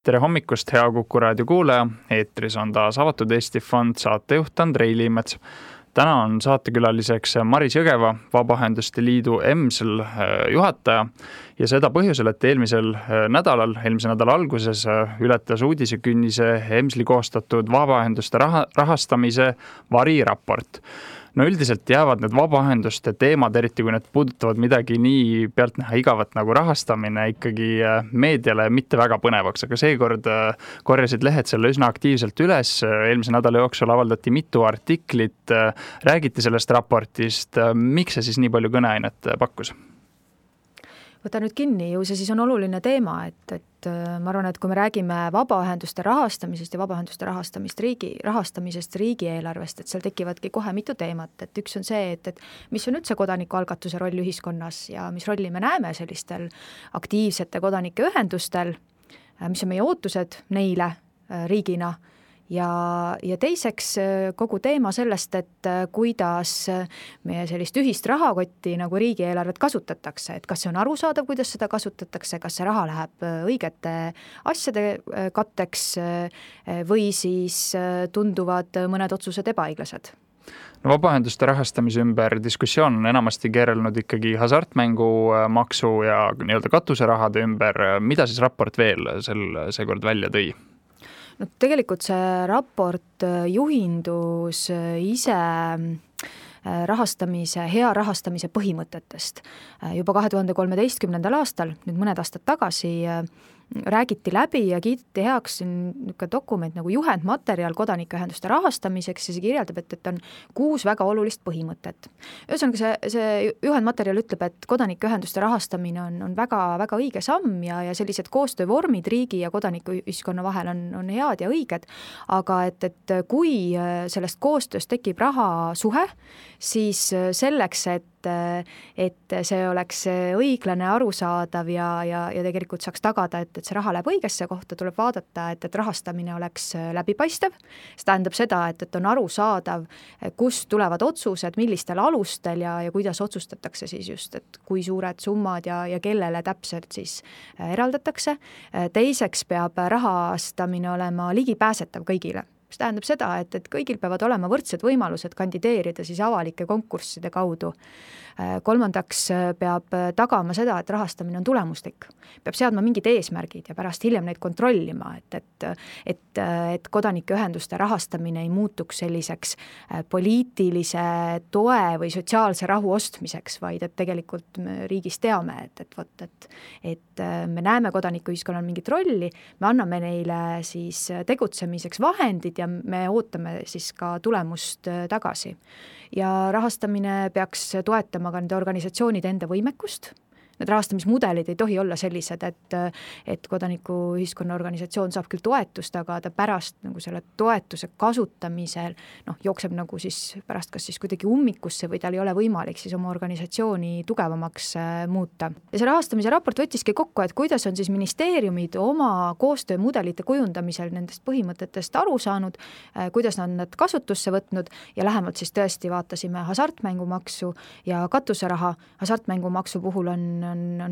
Tere hommikust, hea Kuku raadio kuulaja. Eetris on taas Avatud Eesti Fond saatejuht Andrei Liimets. Täna on saatekülaliseks Maris Jõgeva, Vabaühenduste Liidu EMSL juhataja ja seda põhjusel, et eelmise nädala alguses ületas uudisekünnise EMSL-i koostatud vabaühenduste rahastamise variraport. No üldiselt jäävad need vabaühenduste teemad, eriti kui need puudutavad midagi nii pealtnäha igavat nagu rahastamine, ikkagi meediale mitte väga põnevaks, aga seekord korjasid lehed selle üsna aktiivselt üles. Eelmise nädala jooksul avaldati mitu artiklit, räägiti sellest raportist. Miks see siis nii palju kõneainet pakkus? Võta nüüd kinni, ju see siis on oluline teema, et ma arvan, et kui me räägime vabaühenduste rahastamisest ja vabaühenduste rahastamisest riigieelarvest, et seal tekivadki kohe mitu teemat, et üks on see, et mis on üldse kodanikualgatuse roll ühiskonnas ja mis rolli me näeme sellistel aktiivsete kodanike ühendustel, mis on meie ootused neile riigina. Ja teiseks kogu teema sellest, et kuidas meie sellist ühist rahakotti nagu riigieelarvet kasutatakse, et kas see on arusaadav, kuidas seda kasutatakse, kas see raha läheb õigete asjade katteks või siis tunduvad mõned otsused ebaõiglased. No, vabaühenduste rahastamise ümber diskussioon on enamasti keerelnud ikkagi hasartmängumaksu ja nii-öelda katuserahade ümber. Mida siis raport veel seekord välja tõi? No, tegelikult see raport juhindus ise hea rahastamise põhimõtetest. Juba 2013. aastal, nüüd mõned aastad tagasi, räägiti läbi ja kiideti heaks dokument nagu juhendmaterjal kodanikuühenduste rahastamiseks ja see kirjeldab, et on 6 väga olulist põhimõtet. Ühesõnaga see juhendmaterjal ütleb, et kodanikuühenduste rahastamine on väga, väga õige samm ja sellised koostöövormid riigi ja kodanikuühiskonna vahel on head ja õiged, aga et kui sellest koostööst tekib rahasuhe, siis selleks, et see oleks õiglane, arusaadav ja tegelikult saaks tagada, et see raha läheb õigesse kohta, tuleb vaadata, et rahastamine oleks läbipaistev. See tähendab seda, et on arusaadav, kust tulevad otsused, millistel alustel ja kuidas otsustatakse siis just, et kui suured summad ja kellele täpselt siis eraldatakse. Teiseks peab rahastamine olema ligipääsetav kõigile. See tähendab seda, et kõigil peavad olema võrdsed võimalused kandideerida siis avalike konkursside kaudu. Kolmandaks peab tagama seda, et rahastamine on tulemuslik. Peab seadma mingid eesmärgid ja pärast hiljem neid kontrollima, et kodanikuühenduste rahastamine ei muutuks selliseks poliitilise toe või sotsiaalse rahu ostmiseks, vaid et tegelikult me riigis teame, et me näeme kodanikuühiskonnal mingit rolli, me anname neile siis tegutsemiseks vahendid ja me ootame siis ka tulemust tagasi. Ja rahastamine peaks toetama ka nende organisatsioonide enda võimekust. Need rahastamismudelid ei tohi olla sellised, et kodanikuühiskonna organisatsioon saab küll toetust, aga ta pärast nagu selle toetuse kasutamisel jookseb nagu siis pärast kas siis kuidagi ummikusse või tal ei ole võimalik siis oma organisatsiooni tugevamaks muuta. Ja see rahastamise raport võttiski kokku, et kuidas on siis ministeeriumid oma koostöömudelite kujundamisel nendest põhimõtetest aru saanud, kuidas nad kasutusse võtnud ja lähemalt siis tõesti vaatasime hasartmängumaksu ja katuseraha. Hasartmängumaksu puhul on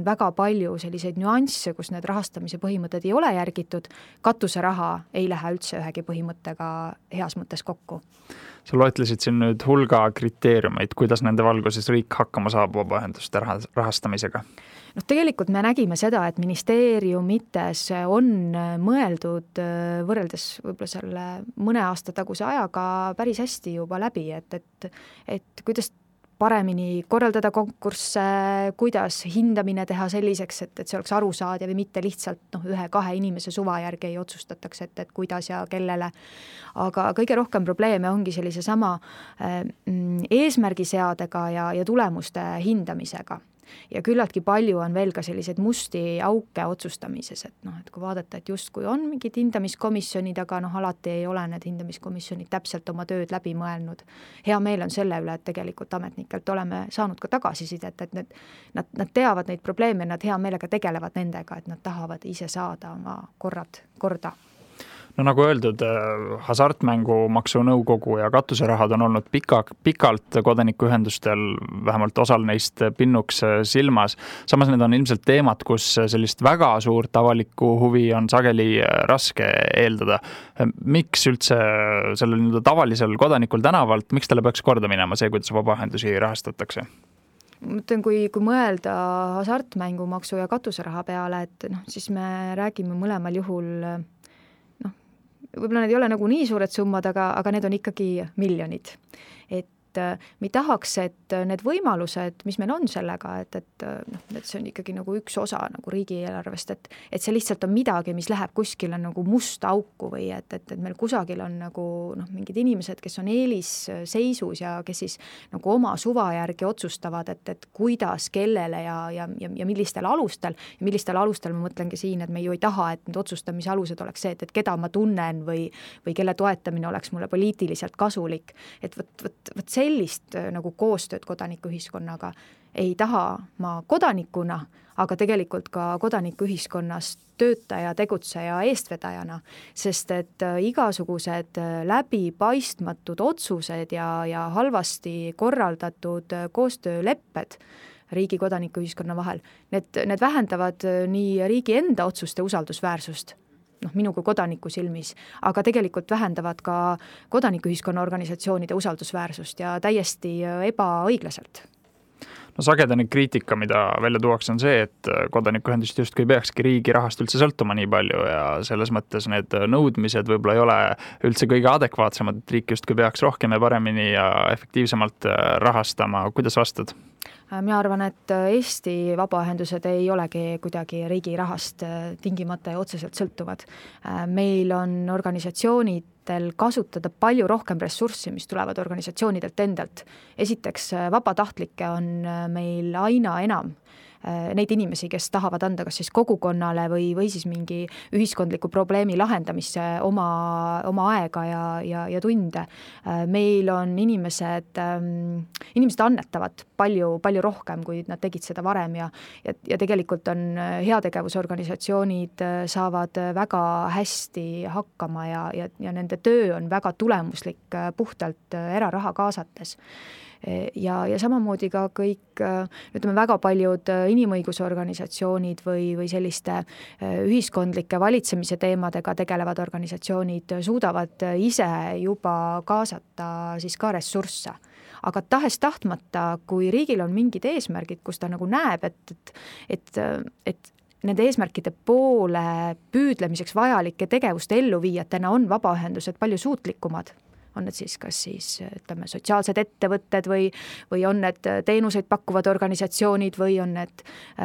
väga palju selliseid nüansse, kus need rahastamise põhimõtted ei ole järgitud. Katuseraha ei lähe üldse ühegi põhimõttega heas mõttes kokku. Sa loetlesid siin nüüd hulga kriteeriumeid, kuidas nende valguses riik hakkama saab vabaühenduste rahastamisega? Tegelikult me nägime seda, et ministeeriumites on mõeldud võrreldes võib-olla selle mõne aasta taguse ajaga päris hästi juba läbi, et kuidas paremini korraldada konkursse, kuidas hindamine teha selliseks, et see oleks arusaadav ja mitte lihtsalt 1-2 inimese suva järgi ei otsustatakse, et kuidas ja kellele. Aga kõige rohkem probleeme ongi sellise sama eesmärgiseadega ja tulemuste hindamisega. Ja küllaltki palju on veel ka selliseid musti auke otsustamises, et kui vaadata, et just kui on mingid hindamiskomisjonid, aga alati ei ole need hindamiskomisjonid täpselt oma tööd läbi mõelnud. Hea meel on selle üle, et tegelikult ametnikelt oleme saanud ka tagasisidet, et nad teavad neid probleeme, nad hea meelega tegelevad nendega, et nad tahavad ise saada oma korda. No nagu öeldud, hasartmängumaksu nõukogu ja katuserahad on olnud pikalt kodanikuühendustel, vähemalt osal neist pinnuks silmas. Samas need on ilmselt teemad, kus sellist väga suurt avalikku huvi on sageli raske eeldada. Miks üldse sellel tavalisel kodanikul tänavalt, miks talle peaks korda minema see, kuidas vabaühendusi rahastatakse? Mõtlen, kui mõelda hasartmängumaksu ja katuseraha peale, et siis me räägime mõlemal juhul, võib-olla need ei ole nagu nii suured summad, aga need on ikkagi miljonid. Et me tahaks, et need võimalused, mis meil on sellega, et see on ikkagi nagu üks osa nagu riigieelarvest, et see lihtsalt on midagi, mis läheb kuskile nagu musta auku või et meil kusagil on nagu mingid inimesed, kes on eelisseisus ja kes siis nagu oma suva järgi otsustavad, et kuidas, kellele ja millistel alustel. Ja millistel alustel ma mõtlengi siin, et me ju ei taha, et need otsustamise alused oleks see, et keda ma tunnen või kelle toetamine oleks mulle poliitiliselt kasulik. Et võt sellist nagu koostööd kodanikuühiskonnaga ei taha ma kodanikuna, aga tegelikult ka kodanikuühiskonnas töötaja, tegutseja, eestvedajana, sest et igasugused läbipaistmatud otsused ja halvasti korraldatud koostöölepped riigi kodanikuühiskonna vahel, need vähendavad nii riigi enda otsuste usaldusväärsust, minu kui kodaniku silmis, aga tegelikult vähendavad ka kodanikuühiskonna organisatsioonide usaldusväärsust ja täiesti ebaõiglaselt. No sagedane kriitika, mida välja tuuakse, on see, et kodanikuühendust justkui peakski riigi rahast üldse sõltuma nii palju ja selles mõttes need nõudmised võib-olla ei ole üldse kõige adekvaatsemad, et riik justkui peaks rohkem ja paremini ja efektiivsemalt rahastama. Kuidas vastad? Mina arvan, et Eesti vabaühendused ei olegi kuidagi riigi rahast tingimata ja otseselt sõltuvad. Meil on organisatsioonidel kasutada palju rohkem ressurssi, mis tulevad organisatsioonidelt endalt. Esiteks, vabatahtlikke on meil aina enam. Neid inimesi, kes tahavad anda kas siis kogukonnale või siis mingi ühiskondliku probleemi lahendamisse oma aega ja tunde. Meil on inimesed annetavad palju rohkem, kui nad tegid seda varem ja tegelikult on heategevusorganisatsioonid saavad väga hästi hakkama ja nende töö on väga tulemuslik puhtalt eraraha kaasates. Ja samamoodi ka kõik, ütleme väga paljud inimõigusorganisatsioonid või selliste ühiskondlike valitsemise teemadega tegelevad organisatsioonid suudavad ise juba kaasata siis ka ressursse. Aga tahes tahtmata, kui riigil on mingid eesmärgid, kus ta nagu näeb, et nende eesmärkide poole püüdlemiseks vajalike tegevuste elluviijatena on vabaühendused palju suutlikumad. On need siis kas ütleme sotsiaalsed ettevõtted või on need teenuseid pakkuvad organisatsioonid või on need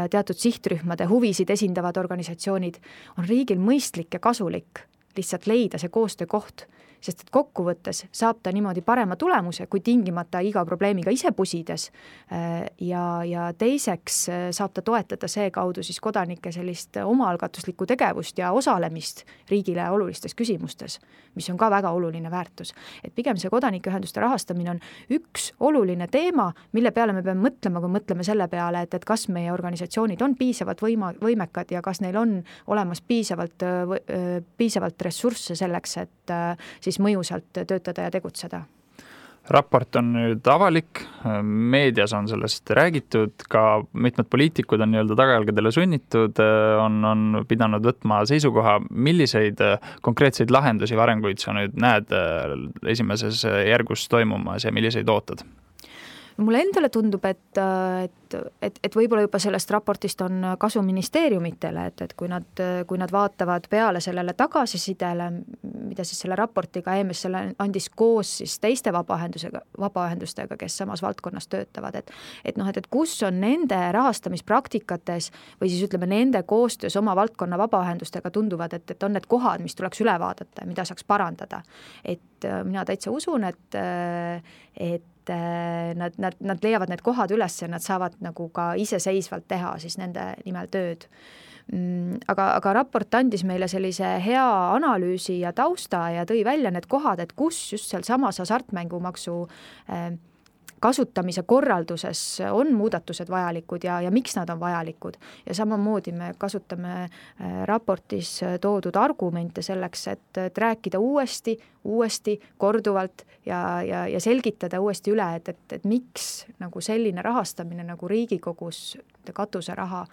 teatud sihtrühmade huvisid esindavad organisatsioonid, on riigil mõistlik ja kasulik lihtsalt leida see koostöökoht, sest et kokkuvõttes saab ta niimoodi parema tulemuse, kui tingimata iga probleemiga ise pusides ja teiseks saab ta toetada see kaudu siis kodanike sellist omaalgatuslikku tegevust ja osalemist riigile olulistes küsimustes, mis on ka väga oluline väärtus. Et pigem see kodanikuühenduste rahastamine on üks oluline teema, mille peale me peame mõtlema, kui mõtleme selle peale, et kas meie organisatsioonid on piisavalt võimekad ja kas neil on olemas piisavalt ressursse selleks, et siis mõjusalt töötada ja tegutseda. Raport on nüüd avalik, meedias on sellest räägitud, ka mitmed poliitikud on tagajalgadele sunnitud, on pidanud võtma seisukoha, milliseid konkreetseid lahendusi või arenguid sa nüüd näed esimeses järgus toimumas ja milliseid ootad? Mulle endale tundub, et võib-olla juba sellest raportist on kasu ministeeriumitele, et kui nad vaatavad peale sellele tagasisidele, mida siis selle raportiga EMS andis koos siis teiste vabaühendustega, kes samas valdkonnas töötavad, et kus on nende rahastamispraktikates või siis ütleme nende koostöös oma valdkonna vabaühendustega tunduvad, et on need kohad, mis tuleks üle vaadata ja mida saaks parandada. Et mina täitsa usun, et nad leiavad need kohad üles ja nad saavad nagu ka iseseisvalt teha siis nende nimel tööd. Aga raport andis meile sellise hea analüüsi ja tausta ja tõi välja need kohad, et kus just seal samas hasartmängumaksu kasutamise korralduses on muudatused vajalikud ja miks nad on vajalikud. Ja samamoodi me kasutame raportis toodud argumente selleks, et rääkida uuesti, korduvalt ja selgitada uuesti üle, et miks nagu selline rahastamine nagu Riigikogus katuseraha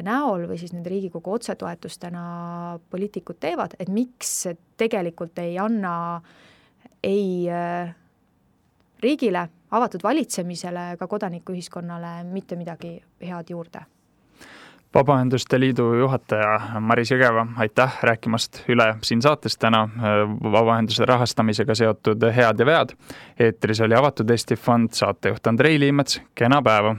näol või siis nende Riigikogu otsetoetustena poliitikud teevad, et miks tegelikult ei anna ei riigile, avatud valitsemisele ega kodanikuühiskonnale mitte midagi head juurde. Vabaühenduste Liidu juhataja Maris Jõgeva, aitäh rääkimast üle siin saates täna vabaühenduse rahastamisega seotud head ja vead. Eetris oli Avatud Eesti Fond, saatejuht Andrei Liimets, kena päeva!